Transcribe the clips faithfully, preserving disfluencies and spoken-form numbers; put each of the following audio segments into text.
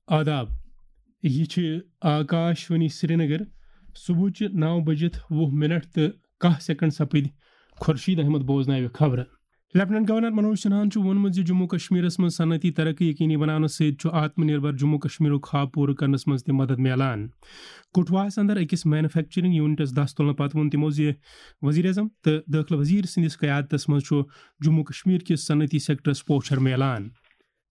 آداب، یہِ چھِ آکاش وانی سرینگر۔ صبحٕچہِ نَو بجِتھ وُہ منٹ تہٕ کاہ سیکنڈ سپٕدۍ۔ خورشید احمد بوزناوِ خبرٕ۔ لیفٹیننٹ گورنر منوج سنہاہن چھُ ووٚنمُت زِ جموں کشمیرس منٛز صنعتی ترقی یقینی بناونہٕ سۭتۍ چھُ آتم نربھر جموں کشمیرُک خواب پوٗرٕ کرنس منٛز تہِ مدد میلان۔ کٹھواہس اندر أکِس مینوفیکچرنگ یونٹس دس تُلنہٕ پتہٕ ووٚن تِمو زِ وزیر اعظم تہٕ دٲخلہٕ وزیر سٕنٛدِس قیادتس منٛز چھُ جموں کشمیر کِس صنعتی سیکٹرس پوچھر میلان۔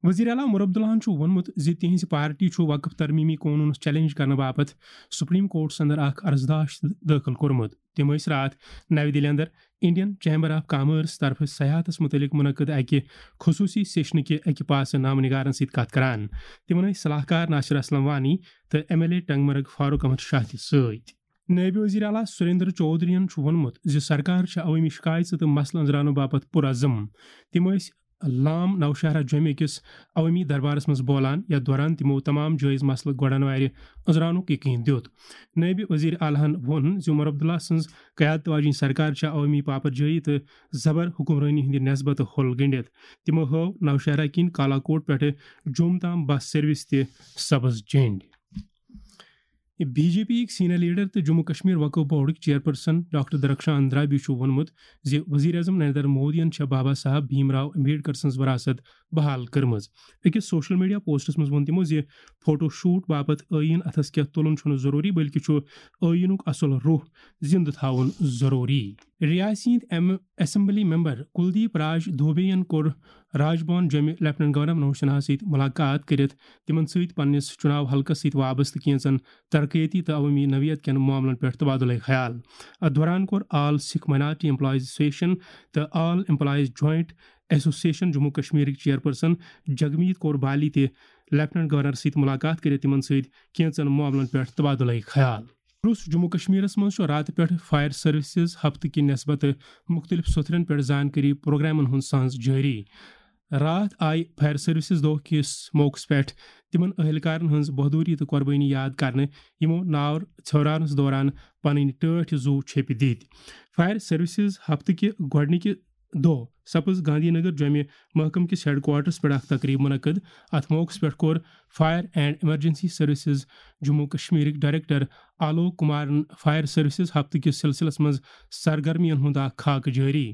وزیر اعلیٰ عمر عبداللہن چھُ ووٚنمُت زِ تِہنٛزِ پارٹی چھُ وقف ترمیمی قونوٗنس چیلنج کرنہٕ باپتھ سپریم کورٹس اندر اکھ عرضداشت دٲخل کوٚرمُت۔ تِم ٲسۍ راتھ نَوِ دِلہِ اندر انڈین چیمبر آف کامٲرس طرفہٕ سیاحتس مُتعلق منعقد اکہِ خصوٗصی سیشنہٕ کہِ اکہِ پاسہٕ نامہ نگارن سۭتۍ کتھ کران۔ تِمن ٲسۍ صلاح کار ناصر اسلم وانی تہٕ ایم ایل اے ٹنگ مرگ فاروق احمد شاہ تہِ سۭتۍ۔ نٲیِب وزیر اعلیٰ سریندر چودھرین چھُ ووٚنمُت زِ سرکار چھےٚ عوٲمی شکایژٕ تہٕ مسلہٕ أنٛزراونہٕ باپتھ پُرعزم۔ تِم ٲسۍ لام نوشہرہ جوٚمہِ أکِس عوٲمی دربارس منٛز بولان، یتھ دوران تِمو تمام جٲیز مسلہٕ گۄڈن وارِ أنٛزراونُک یقین دیُت۔ نٲیِب وزیر اعلیٰ ہن ووٚن زِ عمر عبداللہ سٕنٛز قیادت واجیٚنۍ سرکار چھےٚ عوٲمی پاپرجٲیی تہٕ زبر حکمرٲنی ہٕنٛدِ نسبتہٕ ہوٚل گٔنٛڈِتھ۔ تِمو ہٲو نوشہرہ کِنۍ کالاکوٹ پٮ۪ٹھٕ جوٚم تام بس سروس تہِ سبز جنٛڈ۔ بی جے پی یِکۍ سینئر لیڈر تہٕ جموں کشمیر وقف بورڈٕکۍ چیئرپرسن ڈاکٹر درخشان اندرابی چھُ ووٚنمُت زِ وزیر اعظم نریندر مودیَن چھےٚ بابا صاحب بھیم راو امبیڈکر سٕنٛز وراثت بحال کٔرمٕژ۔ أکِس سوشل میڈیا پوسٹس منٛز ووٚن تِمو زِ فوٹو شوٹ باپتھ ٲییٖن اتھس کٮ۪تھ تُلُن چھُنہٕ ضروٗری، بلکہِ چھُ ٲییٖنُک اصل روح زِندٕ تھاوُن ضروٗری۔ ریاستی ہٕنٛدۍ ایم-، اسمبلی ممبر کلدیپ راج دوبے یَن کوٚر راج بھون جوٚمہِ لیفٹیننٹ گورنر منوج سنہاہَس سۭتۍ مُلاقات کٔرِتھ تِمَن سۭتۍ پننِس چُناو حلقس سۭتۍ وابستہٕ کینٛژن ترقیتی تہٕ عوٲمی نوعیت کٮ۪ن معاملن پٮ۪ٹھ تبادلہ خیال۔ اتھ دوران کوٚر all Sikh minority employees association تہٕ all employees joint association Jammu کشمیرٕکۍ چیئرپرسن جگمیت کور بالی تہِ لیفٹیننٹ گورنر سۭتۍ مُلاقات کٔرِتھ تِمَن سۭتۍ کینٛژن معاملن پٮ۪ٹھ تبادلہ خیال۔ روٚس جموں کشمیرس منٛز چھُ راتہٕ پٮ۪ٹھ فائر سروسز ہفتہٕ کہِ نسبتہٕ مُختٔلِف سوٚتھرن پٮ۪ٹھ زانکٲری پروگرامن ہُنٛد سانز جٲری۔ راتھ آیہِ فائر سروسز دۄہ کِس موقعس پٮ۪ٹھ تِمن اہلکارن ہٕنٛز بہادری تہٕ قربٲنی یاد کرنہٕ، یِمو نار ژھیوراونس دوران پنٕنۍ ٹٲٹھۍ زُو چھیٚپۍ دِتۍ۔ فائر سروسز ہفتہٕ کہِ گۄڈٕنِکہِ دۄہ سپٕز گاندھی نگر جوٚمہِ محکمہٕ کِس ہیڈ کوارٹرس پٮ۪ٹھ اکھ تقریب منعقد۔ اتھ موقعس پٮ۪ٹھ کوٚر fire and emergency services Jammu کشمیرٕکۍ ڈائریکٹر آلوک کمارن فائر سروسز ہفتہٕ کِس سلسلس منٛز سرگرمیَن ہُنٛد اکھ خاکہٕ جٲری۔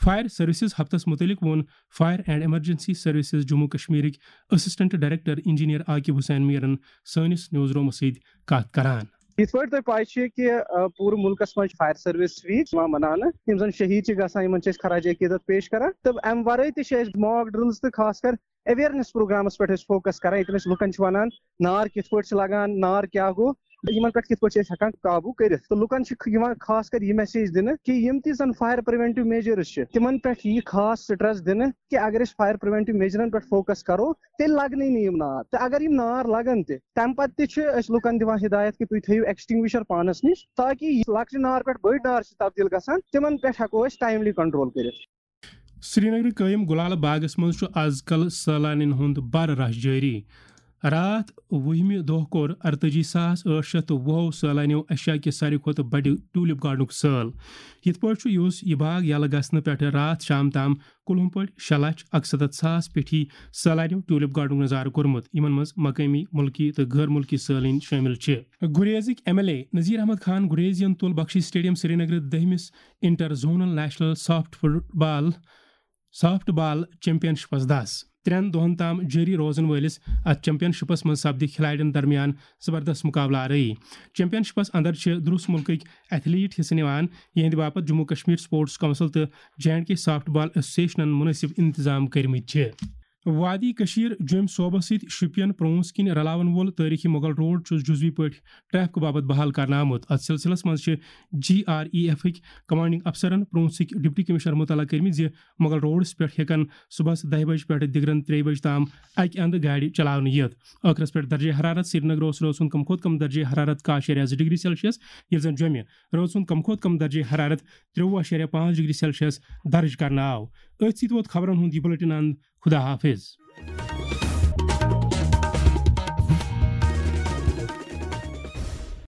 فائر سروسز ہفتس مُتعلق ووٚن fire and emergency services Jammu کشمیرٕکۍ assistant director engineer Aqib Hussain میرن سٲنِس نیوز رومس سۭتۍ کتھ کران۔ یِتھ پٲٹھۍ تۄہہِ پَے چھِ کہِ، آ، پوٗرٕ مُلکَس منٛز چھِ فائر سروس ویٖک یِوان مَناونہٕ۔ یِم زَن شہیٖد چھِ گژھان، یِمَن چھِ أسۍ خراج عقیدت پیش کران۔ تہٕ اَمہِ وَرٲے تہِ چھِ أسۍ mock drills تہٕ خاص کر awareness پروگرامَس پٮ۪ٹھ أسۍ focus کران، ییٚتٮ۪ن أسۍ لُکَن چھِ وَنان نار کِتھ پٲٹھۍ چھِ لَگان، نار کیٛاہ گوٚو، تہٕ یِمَن پٮ۪ٹھ کِتھ پٲٹھۍ چھِ أسۍ ہٮ۪کان قابوٗ کٔرِتھ۔ تہٕ لُکَن چھِ یِوان خاص کر یہِ message دِنہٕ کہِ یِم تہِ زَن fire preventive measures چھِ، تِمَن پٮ۪ٹھ یی خاص stress دِنہٕ کہِ اگر أسۍ fire preventive measureن پٮ۪ٹھ focus کرو، تیٚلہِ لگنٕے نہٕ یِم نار۔ تہٕ اگر یِم نار لگن تہِ، تَمہِ پتہٕ تہِ چھِ أسۍ لُکن دِوان ہدایت کہِ تُہۍ تھٲیِو extinguisher پانس نِش، تاکہِ یہِ لۄکچہِ نار پٮ۪ٹھ بٔڑ نار چھِ تبدیل گژھان، تِمن پٮ۪ٹھ ہٮ۪کو أسۍ timely control کٔرِتھ۔ سرینگرٕ قٲیِم گُلالہٕ باغس منٛز چھُ از کل سٲلانٮ۪ن ہُنٛد بر رش جٲری۔ راتھ وُہمہِ دۄہ کوٚر اَرتٲجی ساس ٲٹھ شیٚتھ تہٕ وُہو سٲلانیو ایشیا کہِ ساروی کھۄتہٕ بڑِ ٹیولپ گارڈنُک سٲل۔ یِتھ پٲٹھۍ چھُ یُس یہِ باغ یلہٕ گژھنہٕ پٮ۪ٹھٕ راتھ شام تام کُلہُم پٲٹھۍ شےٚ لچھ اَکسَتَتھ ساس پیٹھی سٲلانیو ٹیولپ گارڈنُک نظارٕ کوٚرمُت، یِمن منٛز مقٲمی، مُلکی تہٕ غٲر مُلکی سٲلٲنۍ شٲمِل چھِ۔ گُریزٕکۍ M L A Nazir Ahmad Khan گریزین تُل بخشی سٹیڈیم سرینگرٕ دٔہمِس inter zonal national soft football, softball چیمپین شپس دس۔ ترٛٮ۪ن دۄہن تام جٲری روزن وٲلِس اتھ چیمپین شپس منٛز سپدِ کھلاڑٮ۪ن درمیان زبردست مقابلہٕ آرٲیی۔ چیمپین شپس اندر چھِ دُرُس مُلکٕکۍ ایتھلیٹ حصہٕ نِوان، یِہنٛدِ باپتھ جموں کشمیر سپورٹس کونسل تہٕ جے اینڈ کے سافٹ بال ایسوسیشنن مُنٲسِب انتظام کٔرمٕتۍ چھِ۔ وادی کشیر جوٚمۍ صوبس سۭتۍ شوپین پرونس کِنۍ رلاون وول تٲریخی مغل روڈ چھُ جزوی پٲٹھۍ ٹریفک باپتھ بحال کرنہٕ آمُت۔ اتھ سلسلس منٛز چھِ جی آر ای ایف کۍ کمانڈنگ افسرن پرونسٕکۍ ڈپٹی کمشنر مطلع کٔرمٕتۍ زِ مغل روڈس پٮ۪ٹھ ہٮ۪کن صبحس دَہہِ بجہِ پٮ۪ٹھ دِگرن ترٛیٚیہِ بجہِ تام اکہِ اندٕ گاڑِ چلاونہٕ یِتھ۔ ٲخرس پٮ۪ٹھ درجہ حرارت۔ سرینگر اوس رٲژ ہُنٛد کم کھۄتہٕ کم درجہ حرارت کاہ شیٚریا زٕ ڈگری سیلسیس، ییٚلہِ زن جوٚمہِ رٲژ ہُنٛد کم کھۄتہٕ کم درجہ حرارت ترٛوٚوُہ شیٚریا پانٛژھ ڈگری سیلسیس درج کرنہٕ آو۔ أتھۍ سۭتۍ ووت خبرن ہُنٛد یہِ بُلٹن اند۔ خدا حافظ۔